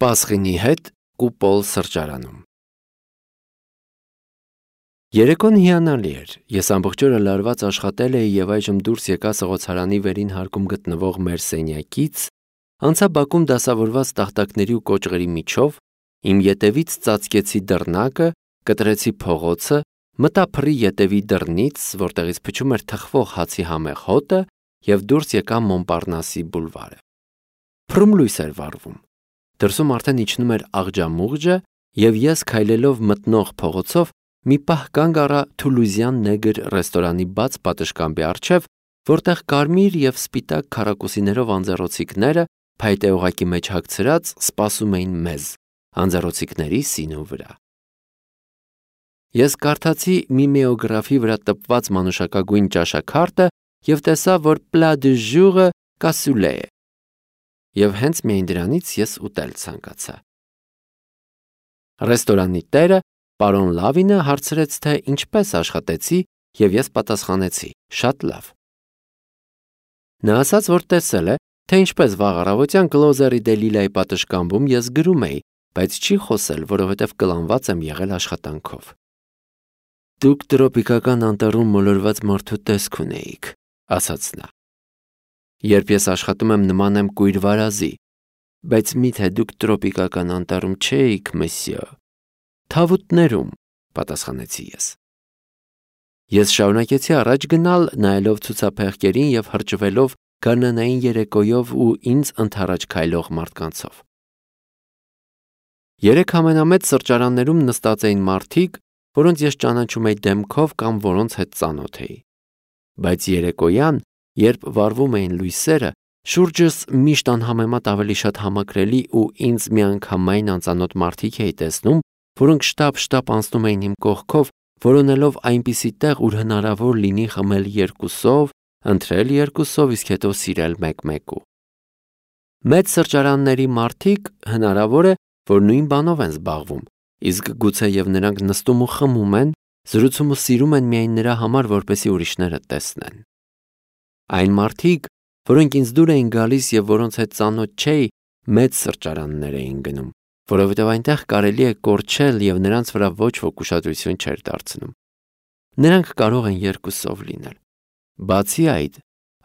Պասխինի հետ Կուպոլ սրճարանում։ Երեկոն հիանալի էր։ Ես ամբողջ օրը լարված աշխատել էի եւ այժմ դուրս եկա սղոցարանի վերին հարկում գտնվող մեր սենյակից, անցա բակում դասավորված տախտակների ու կոճղերի միջով, իմ ետևից ծածկեցի դռնակը, կտրեցի փողոցը, մտա փռի ետևի դռնից, որտեղից փչում էր թխվող հացի համեղ հոտը եւ դուրս եկա Մոնպարնասի բուլվարը։ Փռում լույս էր վառվում։ Դրսում արդեն իջնում էր աղջամուղջը եւ ես քայլելով մտնող փողոցով մի պահ կանգ առա Թուլուզյան նեգր ռեստորանի բաց պատշգամբի առջև, որտեղ կարմիր եւ սպիտակ քառակուսիներով անձեռոցիկները փայտե օղակի մեջ հագցրած սպասում էին մեզ, անձեռոցիկների սինու վրա։ Ես կարդացի միմեոգրաֆի վրա տպված մանուշակագույն ճաշաքարտը եւ տեսա, որ plat du jour-ը կասուլե է։ Եվ հենց միայն դրանից ես ուտել ցանկացա։ Ռեստորանի տերը, պարոն Լավինը, հարցրեց, թե ինչպես աշխատեցի, եւ ես պատասխանեցի. շատ լավ։ Նա ասաց, որ տեսել է, թե ինչպես վաղ առավոտյան Կլոզերի դե Լիլայի պատշգամբում ես գրում էի, բայց չի խոսել, որովհետև կլանված եմ եղել աշխատանքով։ Դուք տրոպիկական անտառում մոլորված մարդու տեսք ունեիք, ասաց նա։ Երբ ես աշխատում եմ, նման եմ կույր վարազի, բայց միթե դուք տրոպիկական անտառում չէիք, մսյո։ Թավուտներում, պատասխանեցի ես։ Ես շարունակեցի առաջ գնալ, նայելով ցուցափեղկերին եւ հրճվելով գարնանային երեկոյով ու ինձ ընդառաջ քայլող մարդկանցով։ Երեք ամենամեծ սրճարաններում նստած էին մարդիկ, որոնց ես ճանաչում էի դեմքով կամ որոնց հետ ծանոթ էի։ Բայց երեկոյան, երբ վառվում էին լույսերը, շուրջս միշտ անհամեմատ ավելի շատ համակրելի ու ինձ միանգամայն անծանոթ մարդիկ էի տեսնում, որոնք շտապ անցնում էին իմ կողքով, որոնելով այնպիսի տեղ, ուր հնարավոր լինի խմել երկուսով, ընթրել երկուսով, իսկ հետո սիրել մեկ-մեկու։ Մեծ սրճարանների մարդիկ հնարավոր է, որ նույն բանով են զբաղվում, իսկ գուցե եւ նրանք նստում ու խմում են, զրուցում ու սիրում են միայն նրա համար, որպեսզի ուրիշները տեսնեն։ Այն մարդիկ, որոնք ինձ դուր էին գալիս եւ որոնց հետ ծանոթ չէի, մեծ սրճարաններ էին գնում, որովհետեւ այնտեղ կարելի է կորչել եւ նրանց վրա ոչ ոք ուշադրություն չէր դարձնում։ Նրանք կարող են երկուսով լինել։ Բացի այդ,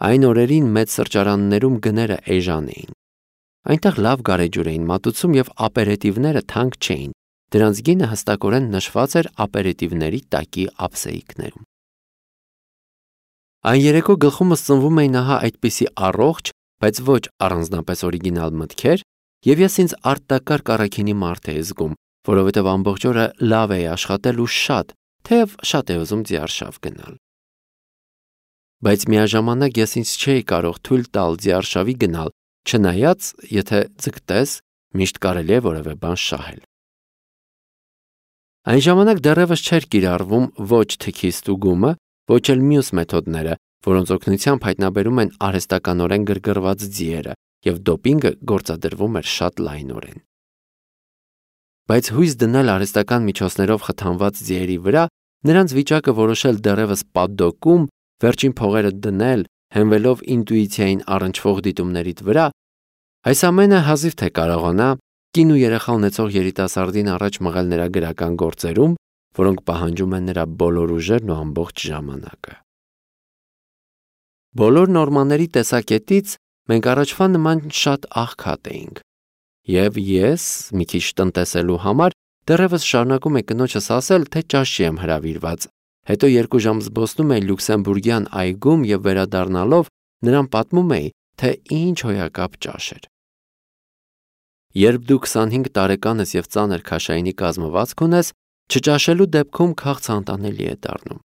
այն օրերին մեծ սրճարաններում գները էժան էին։ Այնտեղ լավ գարեջուր էին մատուցում եւ ապերետիվները թանկ չէին։ Դրանց գինը հստակորեն նշված էր ապերետիվների տակի ափսեիկներում։ Այն երեկո գլխումս ծնվում էին ահա այդպիսի առողջ, բայց ոչ առանձնապես օրիգինալ մտքեր, եւ ես ինձ արտակարգ առաքինի մարդ էի զգում, որովհետեւ ամբողջ օրը լավ էի աշխատել ու շատ, թեև շատ էի ուզում ձիարշավ գնալ։ Բայց միաժամանակ ես ինձ չէի կարող թույլ տալ ձիարշավի գնալ, չնայած, եթե ձգտես, միշտ կարելի է որևէ բան շահել։ Այն ժամանակ դեռևս չէր կիրառվում ոչ թքի ստուգումը, ոչ էլ մյուս մեթոդները, որոնց օգնությամբ հայտնաբերում են արհեստականորեն գրգռված ձիերը, եւ դոպինգը գործադրվում էր շատ լայնորեն։ Բայց հույս դնել արհեստական միջոցներով խթանված ձիերի վրա, նրանց վիճակը որոշել դեռևս պատդոկում, վերջին փողերը դնել, հենվելով ինտուիցիային առնչվող դիտումներիդ վրա, այս ամենը հազիվ թե կարողանա կին ու երեխա ունեցող երիտասարդին առաջ մղել նրա գրական գործերում, որոնք պահանջում են նրա բոլոր ուժերն ու ամբողջ ժամանակը։ Բոլոր նորմաների տեսակետից մենք առաջվա նման շատ աղքատ էինք։ Եվ ես, մի քիչ տնտեսելու համար, դեռևս շարունակում եմ կնոջս ասել, թե ճաշի եմ հրավիրված, հետո 2 ժամ զբոսնում էի Լյուքսեմբուրգյան այգում եւ վերադառնալով նրան պատմում էի, թե ինչ հոյակապ ճաշ էր։ Երբ դու 25 տարեկան ես եւ ծանր քաշայինի կազմվածք ունես, չճաշելու դեպքում քաղցը անտանելի է դառնում։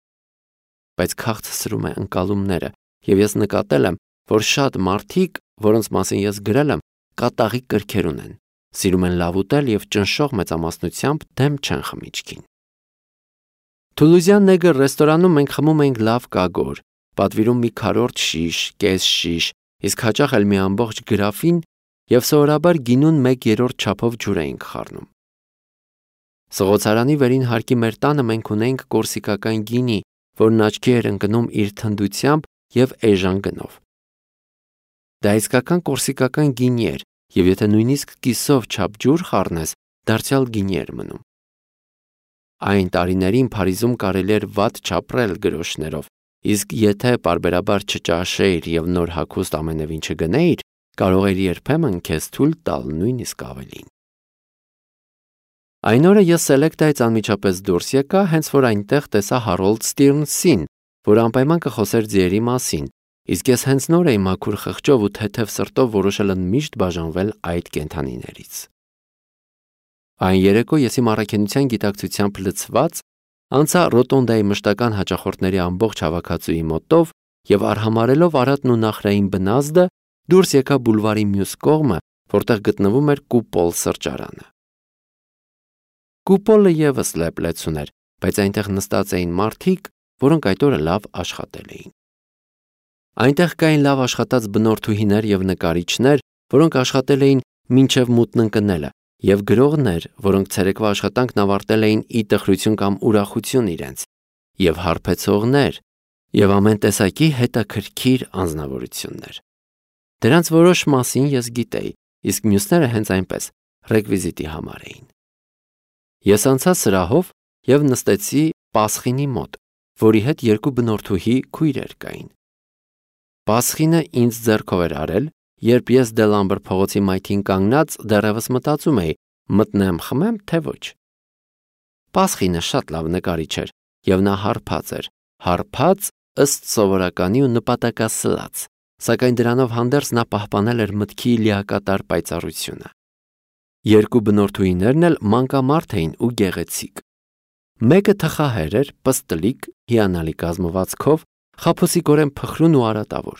Բայց քաղցը սրում է ընկալումները, եւ ես նկատել եմ, որ շատ մարդիկ, որոնց մասին ես գրել եմ, կատաղի կրքեր ունեն, սիրում են լավ ուտել եւ ճնշող մեծամասնությամբ դեմ չեն խմիչքին։ Թուլուզյան նեգր ռեստորանում մենք խմում էինք լավ կագոր, պատվիրում մի քառորդ շիշ, կես շիշ, իսկ հաճախ էլ մի ամբողջ գրաֆին եւ սովորաբար գինուն 1/3 չափով ջուր էինք խառնում։ Սղոցարանի վերին հարկի մեր տանը մենք ունեինք կորսիկական գինի, որն աչքի էր ընկնում իր թնդությամբ եւ էժան գնով։ Դա իսկական կորսիկական գինի էր, եւ եթե նույնիսկ կիսով չափ ջուր խառնես, դարձյալ գինի էր մնում։ Այն տարիներին Փարիզում կարելի էր վատ չապրել գրոշներով, իսկ եթե պարբերաբար չճաշեիր եւ նոր հագուստ ամենևին չգնեիր, կարող էր երբեմն քեզ թույլ տալ նույնիսկ ավելին։ Այն օրը ես Սելեկտայից անմիջապես դուրս եկա, հենց որ այնտեղ տեսա Հարոլդ Ստիրնսին, որ անպայման կխոսեր ձիերի մասին, իսկ ես հենց նոր էի մաքուր խղճով ու թեթև սրտով որոշել ընդմիշտ բաժանվել այդ կենդանիներից։ Այն երեկո ես իմ առաքինության գիտակցությամբ լցված անցա Ռոտոնդայի մշտական հաճախորդների ամբողջ հավաքածուի մոտով եւ արհամարելով Արատն ու Նախրային բնազդը դուրս եկա բուլվարի մյուս կողմը, որտեղ գտնվում էր Կուպոլ սրճարանը։ Կուպոլը եւս լեփլեցուն էր, բայց այնտեղ նստած էին մարդիկ, որոնք այդ օրը լավ աշխատել էին։ Այնտեղ կային լավ աշխատած բնորդուհիներ եւ նկարիչներ, որոնք աշխատել էին մինչև մութն ընկնելը, եւ գրողներ, որոնք ցերեկվա աշխատանքն ավարտել էին ի տխրություն կամ ուրախություն իրենց, եւ հարբեցողներ, եւ ամեն տեսակի հետաքրքիր անձնավորություններ։ Դրանց որոշ մասին ես գիտեի, իսկ մյուսները հենց այնպես ռեկվիզիտի համար էին։ Ես անցա սրահով եւ նստեցի Պասխինի մոտ, որի հետ երկու բնորդուհի քույրեր կային։ Պասխինը ինձ ձեռքով էր արել, երբ ես Դելամբր փողոցի մայթին կանգնած դեռևս մտածում էի՝ մտնեմ խմեմ, թե ոչ։ Պասխինը շատ լավ նկարիչ էր եւ նա հարբած էր, հարբած ըստ սովորականի ու նպատակասլաց, սակայն դրանով հանդերձ նա պահպանել էր մտքի լիակատար պայծառությունը։ Երկու բնորդուհիներն էլ մանկամարդ էին ու գեղեցիկ։ Մեկը թխահեր էր, պստլիկ, հիանալի կազմվածքով, խաբուսիկորեն փխրուն ու արատավոր։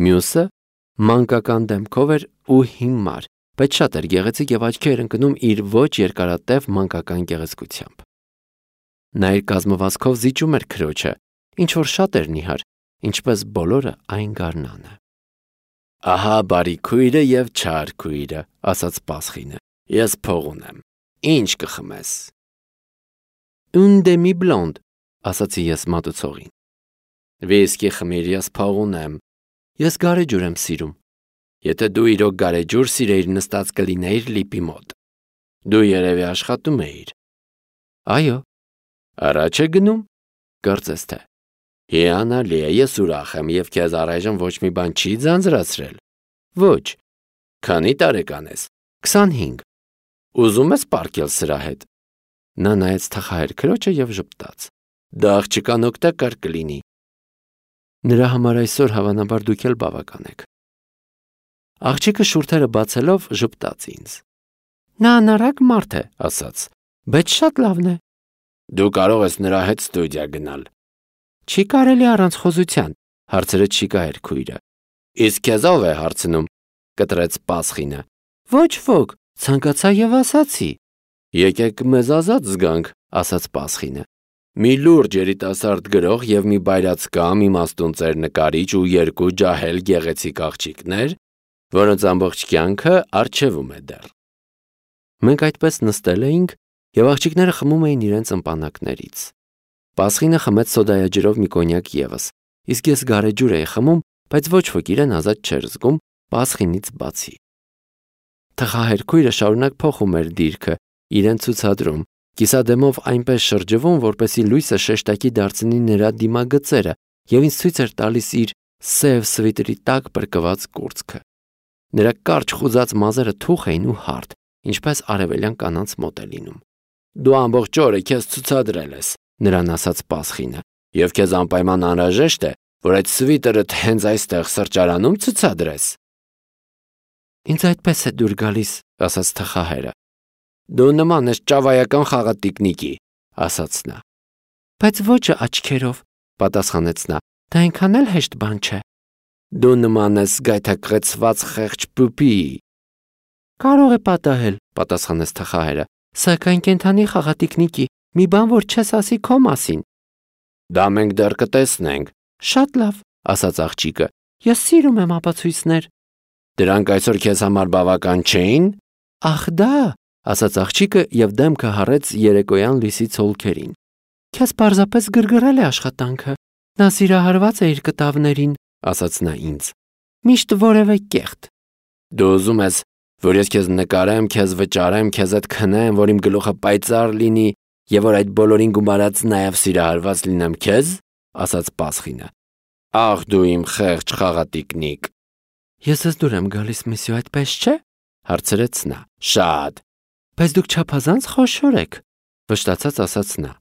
Մյուսը մանկական դեմքով էր ու հիմար, բայց շատ էր գեղեցիկ եւ աչքի էր ընկնում իր ոչ երկարատև մանկական գեղեցկությամբ։ Նա իր կազմվածքով զիջում էր քրոջը, ինչ որ շատ էր նիհար, ինչպես բոլորը այն գարնանը։ Ահա բարի քույրը եւ չար քույրը, ասաց Պասխինը։ Ես փող ունեմ։ Ինչ կխմես։ Un demi blonde, ասացի ես մատուցողին։ Վիսկի խմիր, ես փող ունեմ։ Ես գարեջուր եմ սիրում։ Եթե դու իրոք գարեջուր սիրեիր, նստած կլինեիր լիպի մոտ։ Դու երևի աշխատում էիր։ Այո։ Առաջ է գնում։ Կարծես թե։ Հիանալի է, ես ուրախ եմ եւ քեզ առայժմ ոչ մի բան չի ձանձրացրել։ Ոչ։ Քանի տարեկան ես։ 25։ Ուզում ես պարկել սրա հետ։ Նա նայեց թխահեր քրոջը եւ ժպտաց։ Դա աղջկան օգտակար կլինի։ Նրա համար այսօր հավանաբար դուք էլ բավական եք։ Աղջիկը շուրթերը բացելով ժպտաց ինձ։ Նա անառակ մարդ է, ասաց, բայց շատ լավն է։ Դու կարող ես նրա հետ ստուդիա գնալ։ Չի կարելի առանց խոզության, հարցրեց շիկահեր քույրը։ Իսկ քեզ ով է հարցնում, կտրեց Պասխինը։ Ոչ ոք, ցանկացա եւ ասացի։ Եկեք մեզ ազատ զգանք, ասաց Պասխինը։ Մի լուրջ երիտասարդ գրող եւ մի բայրացկամ իմաստուն ծեր նկարիչ ու երկու ջահել գեղեցիկ աղջիկներ, որոնց ամբողջ կյանքը արժևում է դեռ։ Մենք այդպես նստել էինք եւ աղջիկները խմում էին իրենց ըմպանակներից։ Պասխինը խմեց սոդայաջրով մի կոնյակ եւս, իսկ ես գարեջուր էի խմում, բայց ոչ ոք իրեն ազատ չէր զգում Պասխինից բացի։ Թխահեր քույրը շարունակ փոխում էր դիրքը, իրեն ցուցադրում, կիսադեմով այնպես շրջվում, որպեսզի լույսը շեշտակի դարձնի նրա դիմագծերը եւ ինձ ցույց էր տալիս իր սև սվիտրի տակ բրկված կուրծքը։ Նրա կարճ խուզած մազերը թուխ էին ու հարթ, ինչպես արևելյան կանանց մոտ է լինում։ Դու ամբողջ օրը քեզ ցուցադրել ես, նրան ասաց Պասխինը, եւ քեզ անպայման անհրաժեշտ է, որ այդ սվիտրդ հենց այստեղ սրճարանում ցուցադրես։ Ինձ այդպես է դուր գալիս, ասաց թխահերը։ Դու նման ես ճավայական խաղատիկնիկի, ասաց նա։ Բայց ոչը աչքերով, պատասխանեց նա, դա այնքան էլ հեշտ բան չէ։ Դու նման ես գայթակղեցված խեղճ պուպի։ Կարող է պատահել, պատասխանեց թխահերը, սակայն կենդանի խաղատիկնիկի, մի բան որ չես ասի քո մասին։ Դա մենք դեռ կտեսնենք։ Շատ լավ, ասաց աղջիկը։ Ես սիրում եմ ապացույցներ։ Դրանք այսօր քեզ համար բավական չէին։ Ախ դա, ասաց աղջիկը եւ դեմքը հառեց երեկոյան լույսի ցոլքերին։ Քեզ պարզապես գրգռել է աշխատանքը։ Նա սիրահարված է իր կտավներին, ասաց նա ինձ։ Միշտ որևէ կեղտ։ Դու ուզում ես, որ ես քեզ նկարեմ, քեզ վճարեմ, քեզ հետ քնեմ, որ իմ գլուխը պայծառ լինի եւ որ այդ բոլորին գումարած նաեւ սիրահարված լինեմ քեզ, ասաց Պասխինը։ Ախ դու իմ խեղճ խաղատիկնիկ։ Ես ես դուր եմ գալիս միսիո, այդպես չէ, հարցրեց նա։ Շատ։ Բայց դուք չափազանց խոշոր եք, վշտացած ասաց նա։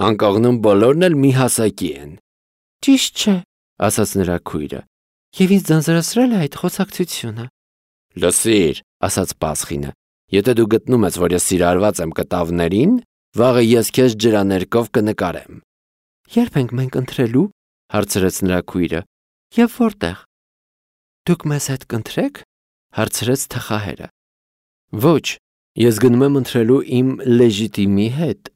Անկողնում բոլորն էլ մի հասակի են։ Ճիշտ չէ, ասաց նրա քույրը։ Եվ ինձ ձանձրացրել է այդ խոսակցությունը։ Լսիր, ասաց Պասխինը, եթե դու գտնում ես, որ ես սիրահարված եմ կտավներին, վաղը ես քեզ ջրաներկով կնկարեմ։ Երբ ենք մենք ընթրելու, հարցրեց նրա քույրը։ Եվ որտեղ։ Դուք մեզ հետ կընթրեք, հարցրեց թխահերը։ Ոչ, ես գնում եմ ընթրելու իմ լեժիտիմի հետ։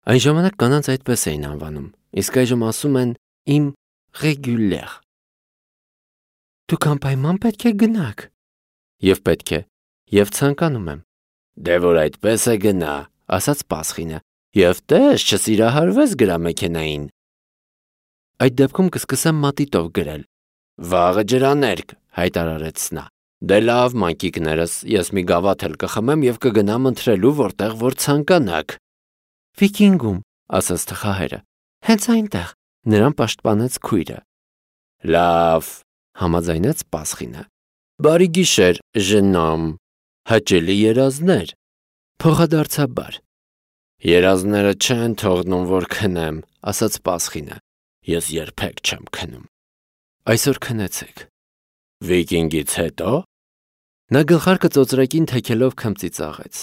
Այն ժամանակ կանանց այդպես էին անվանում, իսկ այժմ ասում են իմ ռեգյուլեր։ Դուք անպայման պետք է գնաք։ Եվ պետք է, եւ ցանկանում եմ։ Դե որ այդպես է գնա, ասաց Պասխինը, եւ տես չսիրահարվես գրամեքենային։ Այդ դեպքում կսկսեմ մատիտով գրել։ Վաղը ջրաներկ, հայտարարեց նա։ Դե լավ, մանկիկներս, ես մի գավաթ էլ կխմեմ եւ կգնամ ընթրելու, որտեղ որ ցանկանաք։ Վիկինգում, ասաց թխահերը։ Հենց այնտեղ, նրան պաշտպանեց քույրը։ Լավ, համաձայնեց Պասխինը։ Բարի գիշեր, ժնամ, հաճելի երազներ։ Փոխադարձաբար։ Երազները չեն թողնում, որ քնեմ, ասաց Պասխինը։ Ես երբեք չեմ քնում։ Այսօր քնեցեք։ Վիկինգից հետո։ Նա գլխարկը ծոծրակին թեքելով քմծի ծաղեց։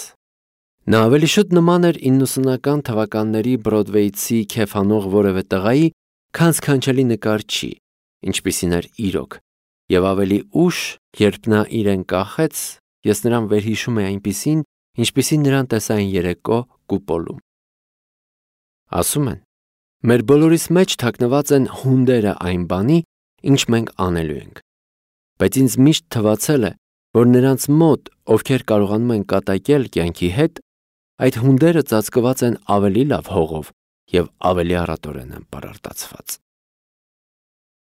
Նա ավելի շուտ նման էր 90-ական թվականների Բրոդվեյցի քեֆանող որևէ տղայի, քան սքանչելի նկարչի, ինչպիսին էր իրոք, եւ ավելի ուշ, երբ նա իրեն կախեց, ես նրան վերհիշում էի այնպիսին, ինչպիսին նրան տեսա այն երեկո կուպոլում։ Ասում են, մեր բոլորիս մեջ թաքնված են հունդերը այն բանի, ինչ մենք անելու ենք։ Բայց ինձ միշտ թվացել է, որ նրանց մոտ, ովքեր կարողանում են կատակել կյանքի հետ, այդ հունդերը ծածկված են ավելի լավ հողով եւ ավելի առատորեն են պարարտացված։